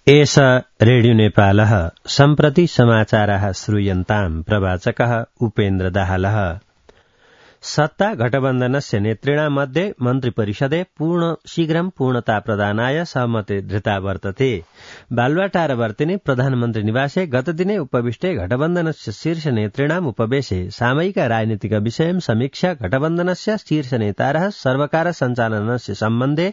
एष रेडियो नेपालः सम्प्रति समाचाराः श्रूयन्ताम् प्रवाचकः उपेन्द्र दाहालः। सत्ता गठबन्धनस्य नेतृणां मध्ये मन्त्रिपरिषदे शीघ्रं पूर्णता प्रदानाय सहमति धृता वर्तते। बालुवाटारवर्तिनि प्रधानमन्त्री निवासे गतदिने उपविष्टे गठबन्धनस्य शीर्ष नेतृणाम् उपवेशे सामयिक राजनीतिक विषयं समीक्षा गठबन्धनस्य शीर्ष नेतारः सर्वकार सञ्चालनस्य सम्बन्धे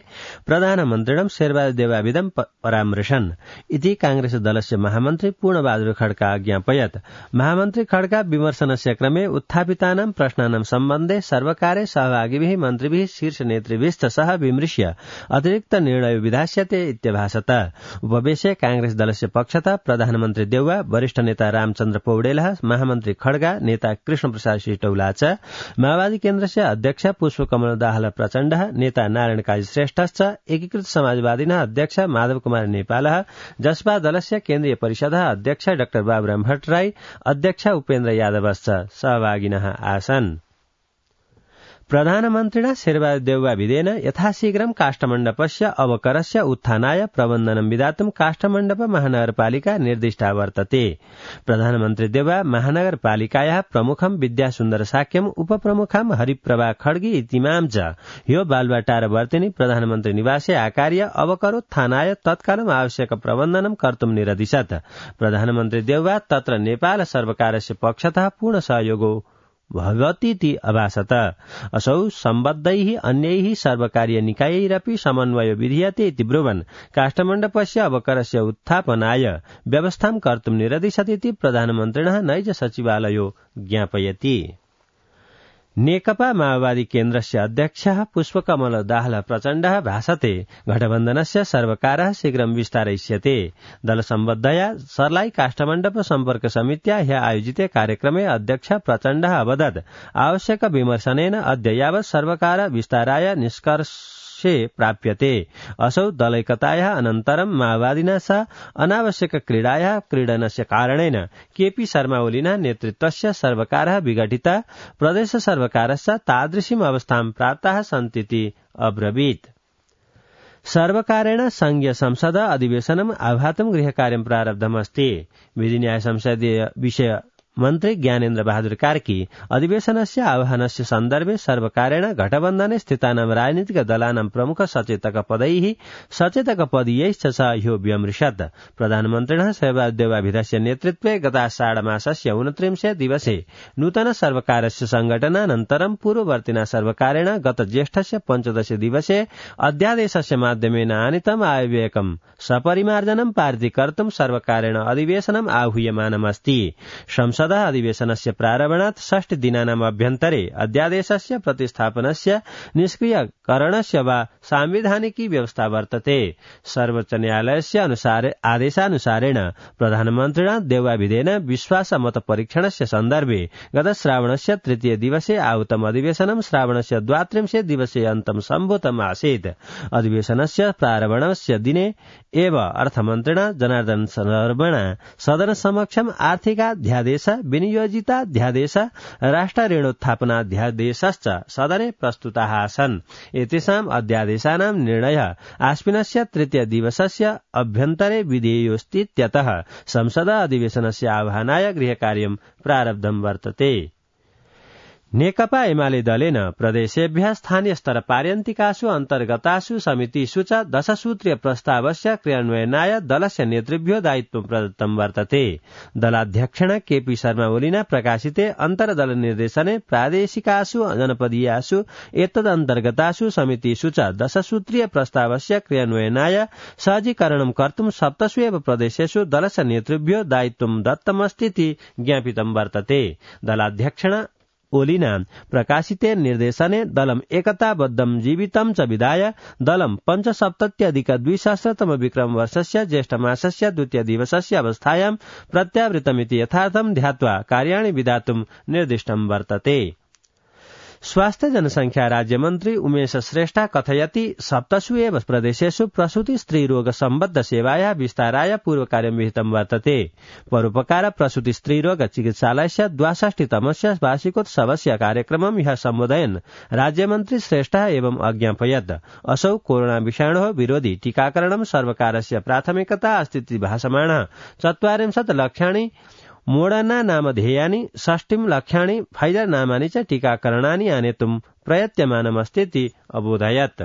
प्रधानमन्त्रिणं शेरबहादुर परामृशन् इति कांग्रेस दलस्य महामन्त्री पूर्णबहादुर खड्का अज्ञापयत्। महामन्त्री खड्का विमर्शनस्य क्रमे उत्थापितानां प्रश्नानां सम्बन्धे सर्वकारे सहभागिभिः मन्त्रिभिः शीर्ष नेतृभिश्च सह विमृश्य अतिरिक्त निर्णय विधास्यते इत्यभाषत। उपवेशे कांग्रेस दलस्य पक्षतः प्रधानमन्त्री देउवा, वरिष्ठ नेता रामचन्द्र पौडेलः, महामन्त्री खड्गा, नेता कृष्णप्रसाद श्रीटौला च, माओवादी केन्द्रस्य अध्यक्ष पुष्पकमल दाहाल प्रचण्डः, नेता नारायण काजी श्रेष्ठश्च, एकीकृत समाजवादीनः अध्यक्ष माधव कुमार नेपालः, जसपा दलस्य केन्द्रीय परिषदः अध्यक्ष डाक्टर बाबुराम भट्टराई, अध्यक्ष उपेन्द्र यादवश्च सहभागिनः आसन्। प्रधानमन्त्रिणा शेरबहादुर देउवा विधेन यथाशीघ्रं काष्ठमण्डपस्य अवकरस्य उत्थानाय प्रबन्धनं विधातुं काष्ठमण्डप महानगरपालिका निर्दिष्टा वर्तते। प्रधानमन्त्री देउवा महानगरपालिकायाः प्रमुखं विद्यासुन्दर साक्यम्, उपप्रमुखं हरिप्रभा खड्गी इतिमां च ह्यो बालुवाटारवर्तिनि प्रधानमन्त्री निवासे आकार्य अवकरोत्थानाय तत्कालम् आवश्यक प्रबन्धनं कर्तुं निरदिशत्। प्रधानमन्त्री देउवा तत्र नेपाल सर्वकारस्य पक्षतः पूर्ण सहयोगो भवतीति अभाषत। असौ सम्बद्धैः अन्यैः सर्वकारीय निकायैरपि समन्वयो विधीयते इति ब्रुवन् काष्ठमण्डपस्य अवकरस्य उत्थापनाय व्यवस्थां कर्तुं निरदिशतीति प्रधानमन्त्रिणः नैज सचिवालयो ज्ञापयति। नेकपा माओवादी केन्द्रस्य अध्यक्षः पुष्पकमल दाहाल प्रचण्डः भाषते गठबन्धनस्य सर्वकारः शीघ्रं विस्तारयिष्यते। दलसम्बद्धया सर्लाई काष्ठमण्डप सम्पर्क समित्या ह्यः आयोजिते कार्यक्रमे अध्यक्ष प्रचण्डः अवदत् आवश्यक विमर्शनेन अद्य यावत् सर्वकार विस्ताराय निष्कर्षे प्राप्यते। असौ दलैकतायाः अनन्तरं माओवादिना सह अनावश्यक क्रीडनस्य कारणेन केपी शर्मा ओलीना नेतृत्वस्य सर्वकारः विघटितः, प्रदेश सर्वकारस्य तादृशीम् अवस्थां प्राप्ताः सन्तीति अब्रवीत्। सर्वकारेण संघीय संसद अधिवेशनम् आह्वातुं गृहकार्यं प्रारब्धमस्ति। विधिन्याय संसदीय विषय मन्त्री ज्ञानेन्द्र बहादुर कार्की अधिवेशनस्य आह्वानस्य सन्दर्भे सर्वकारेण गठबन्धने स्थितानां राजनीतिक दलानां प्रमुख सचेतकपदैः सचेतकपदीयैश्च सह ह्यो व्यमृशत्। प्रधानमन्त्रिणः शेरबहादुर देउवाभिधस्य नेतृत्वे गताषाढमासस्य 29 दिवसे नूतन सर्वकारस्य संघटनानन्तरं पूर्ववर्तिना सर्वकारेण गत ज्येष्ठस्य 15 दिवसे अध्यादेशस्य माध्यमेन आनीतम् आयव्ययकं सपरिमार्जनं पारितीकर्तुं सर्वकारेण अधिवेशनम् आहूयमानमस्ति। संसद अधिवेशनस्य प्रारम्भात् 6 दिनानाम् अभ्यन्तरे अध्यादेशस्य प्रतिस्थापनस्य निष्क्रियकरणस्य वा सांविधानिकी व्यवस्था वर्तते। सर्वोच्च न्यायालयस्य आदेशानुसारेण प्रधानमन्त्रिणा देउवाभिधेन विश्वासमत परीक्षणस्य सन्दर्भे गत श्रावणस्य 3 दिवसे आहूतम् अधिवेशनं श्रावणस्य 32 दिवसे अन्तं सम्भूतम् आसीत्। अधिवेशनस्य प्रारम्भस्य दिने एव अर्थमन्त्रिणा जनार्दन शर्मणा सदन समक्षम् आर्थिकाध्यादेश, विनियोजिताध्यादेश, राष्ट्र ऋणोत्थापनाध्यादेशश्च सदने प्रस्तुताः आसन्। एतेषाम् अध्यादेशानां निर्णयः आश्विनस्य 3 दिवसस्य अभ्यन्तरे विधेयोऽस्तीत्यतः संसद अधिवेशनस्य आह्वानाय गृहकार्यं प्रारब्धं वर्तते। नेकपा एमाले दलेन प्रदेशेभ्यः स्थानीय स्तर पार्यन्तिकासु अन्तर्गतासु समितिषु च 10 सूत्रीय प्रस्तावस्य क्रियान्वयनाय दलस्य नेतृभ्यो दायित्वं प्रदत्तं वर्तते। दलाध्यक्षेण केपी शर्मा ओलीना प्रकाशिते अन्तर्दल निर्देशने प्रादेशिकासु जनपदीयासु एतदन्तर्गतासु समितिषु च 10 सूत्रीय प्रस्तावस्य क्रियान्वयनाय सहजीकरणं कर्तुं 7 एव प्रदेशेषु दलस्य नेतृभ्यो दायित्वं दत्तमस्तीति ज्ञापितं वर्तते। दलाध्यक्षेण ओलीना प्रकाशिते निर्देशने दलम् एकताबद्धं जीवितं च विधाय दलं 5सप्तत्यधिक-2सहस्रतम विक्रम वर्षस्य ज्येष्ठमासस्य 2 दिवसस्य अवस्थायां प्रत्यावृतमिति यथार्थं ध्यात्वा कार्याणि विधातुं निर्दिष्टं वर्तते। स्वास्थ्य जनसंख्या राज्यमन्त्री उमेश श्रेष्ठ कथयति 7 एव प्रदेशेषु प्रसूति स्त्रीरोग सम्बद्ध सेवाया विस्ताराय पूर्वकार्यं विहितं वर्तते। परोपकार प्रसूति स्त्रीरोग चिकित्सालयस्य 62तमस्य वार्षिकोत्सवस्य कार्यक्रमं ह्यः सम्बोधयन् राज्यमन्त्री श्रेष्ठ एवं अज्ञापयत् असौ कोरोना विषाणोः विरोधि टीकाकरणं सर्वकारस्य प्राथमिकता अस्तीति भासमानः 40 लक्षाणि मोडर्ना नामधेयानि 60 लक्षाणि फाइजर नामानि च टीकाकरणानि आनेतुं प्रयत्यमानमस्तीति अबोधयत्।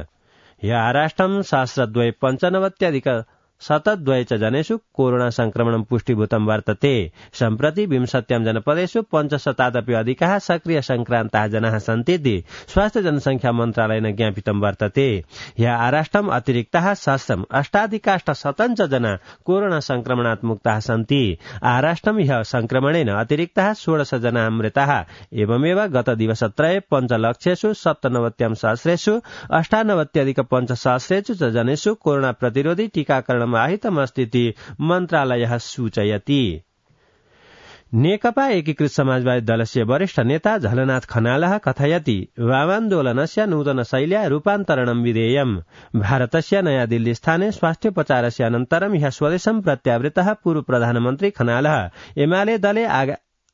ह्यः सहस्रद्वय 95,702 च जनेषु कोरोना संक्रमणं पुष्टिभूतं वर्तते। सम्प्रति 20 जनपदेषु 500 अधिकाः सक्रिय संक्रान्ताः जनाः सन्तीति स्वास्थ्य जनसंख्या मन्त्रालयेन ज्ञापितं वर्तते। ह्यः आराष्ट्रम् अतिरिक्ताः 8,800 जना कोरोना संक्रमणात् मुक्ताः सन्ति। आराष्ट्रम् ह्यः संक्रमणेन अतिरिक्ताः 16 जनाः मृताः। एवमेव गत दिवसत्रये 5 लक्षेषु 97,000 98,500 च जनेषु कोरोना प्रतिरोधी टीकाकरण आहितमस्तीति मन्त्रालयः सूचयति। नेकपा एकीकृत समाजवादी दलस्य वरिष्ठ नेता झलनाथ खनालः कथयति वामान्दोलनस्य नूतन शैल्या रूपान्तरणं विधेयम्। भारतस्य नयादिल्ली स्थाने स्वास्थ्योपचारस्य अनन्तरं ह्यः स्वदेशं प्रत्यावृतः पूर्व प्रधानमन्त्री खनालः एमाले दले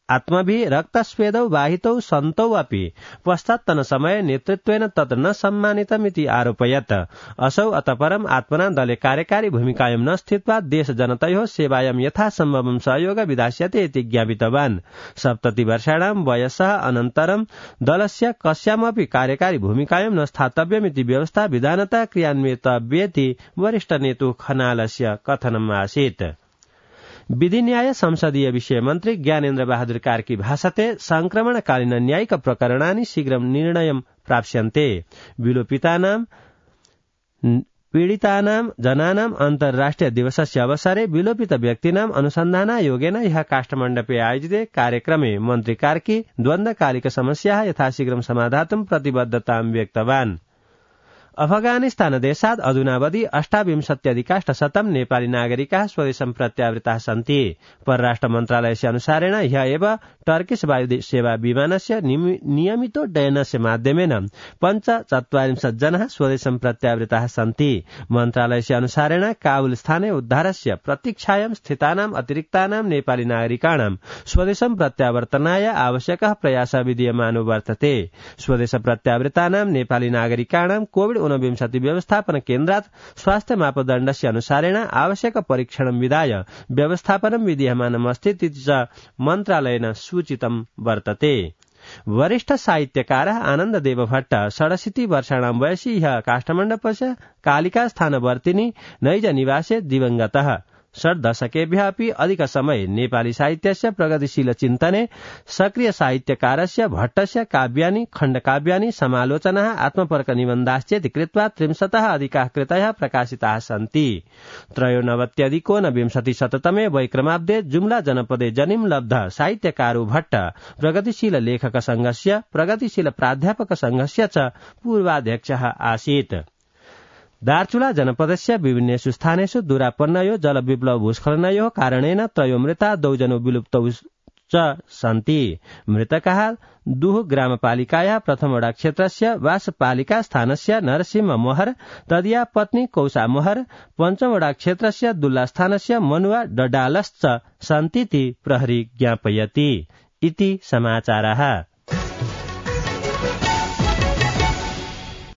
आत्मभिः रक्तस्वेदौ वाहितौ सन्तौ अपि पश्चात्तन समय नेतृत्वेन तत् न सम्मानितमिति आरोपयत्। असौ अतपरम् आत्मना दले कार्यकारी भूमिकायां न स्थित्वा देश जनतयोः सेवायां यथासम्भवं सहयोग विधास्यते इति ज्ञापितवान्। 70 वर्षाणां वयसः अनन्तरं दलस्य कस्यामपि कार्यकारी भूमिकायां न स्थातव्यमिति व्यवस्था विधानतः क्रियान्वितव्येति वरिष्ठ नेतु खनालस्य कथनम् आसीत्। विधि न्याय संसदीय विषय मन्त्री ज्ञानेन्द्र बहादुर कार्की भाषते संक्रमणकालीन न्यायिक प्रकरणानि शीघ्रं निर्णयं प्राप्स्यन्ते। विलोपितानां पीडितानां जनानां अन्तर्राष्ट्रिय दिवसस्य अवसरे विलोपित व्यक्तीनाम् अनुसन्धानायोगेन ह्यः काष्ठमण्डपे आयोजिते कार्यक्रमे मन्त्री कार्की द्वन्द्वकालिक समस्याः यथाशीघ्रं समाधातुं प्रतिबद्धतां व्यक्तवान्। अफगानिस्तान देशात् अधुनावधि 28,100 नेपाली नागरिकाः स्वदेशं प्रत्यावृताः सन्ति। परराष्ट्र मन्त्रालयस्य अनुसारेण ह्यः एव टर्किश वायु सेवा विमानस्य नियमितोड्डयनस्य माध्यमेन 45 जनाः स्वदेशं प्रत्यावृताः सन्ति। मन्त्रालयस्य अनुसारेण काबुल स्थाने उद्धारस्य प्रतीक्षायां स्थितानाम् अतिरिक्तानां नेपाली नागरिकाणां स्वदेशं प्रत्यावर्तनाय आवश्यकः प्रयासः विधीयमानो वर्तते। स्वदेश प्रत्यावृतानां नेपाली नागरिकाणां कोविड-19 व्यवस्थापन केन्द्रात् स्वास्थ्य मापदण्डस्य अनुसारेण आवश्यक परीक्षणं विधाय व्यवस्थापनं विधीयमानमस्तीति च मन्त्रालयेन सूचितं वर्तते। वरिष्ठ साहित्यकारः आनन्ददेव भट्ट 67 वर्षाणां वयसि ह्यः काष्ठमण्डपस्य कालिका स्थानवर्तिनी नैज निवासे दिवंगतः। 6 दशकेभ्यः अपि अधिक समय नेपाली साहित्यस्य प्रगतिशील चिन्तने सक्रिय साहित्यकारस्य भट्टस्य काव्यानि खण्डकाव्यानि समालोचनाः आत्मपर्क निबन्धाश्चेति कृत्वा 30 अधिकाः कृतयः प्रकाशिताः सन्ति। 93,120 वैक्रमाब्दे जुम्ला जनपदे जनिं लब्ध साहित्यकारो भट्ट प्रगतिशील लेखक संघस्य प्रगतिशील प्राध्यापक संघस्य च पूर्वाध्यक्षः आसीत्। दार्चुला जनपदस्य विभिन्नेषु स्थानेषु दुरापन्नयो जलविप्लव भूस्खलनयोः कारणेन 3 मृता 2 जनो विलुप्तौ च सन्ति। मृतकाः दुह ग्रामपालिकायाः प्रथम वडा क्षेत्रस्य वासपालिका स्थानस्य नरसिंह महर तदीया पत्नी कौसा महर, पञ्चम वडा क्षेत्रस्य दुल्ला स्थानस्य मनुवा डडालश्च सन्तीति प्रहरी ज्ञापयति। इति समाचारः।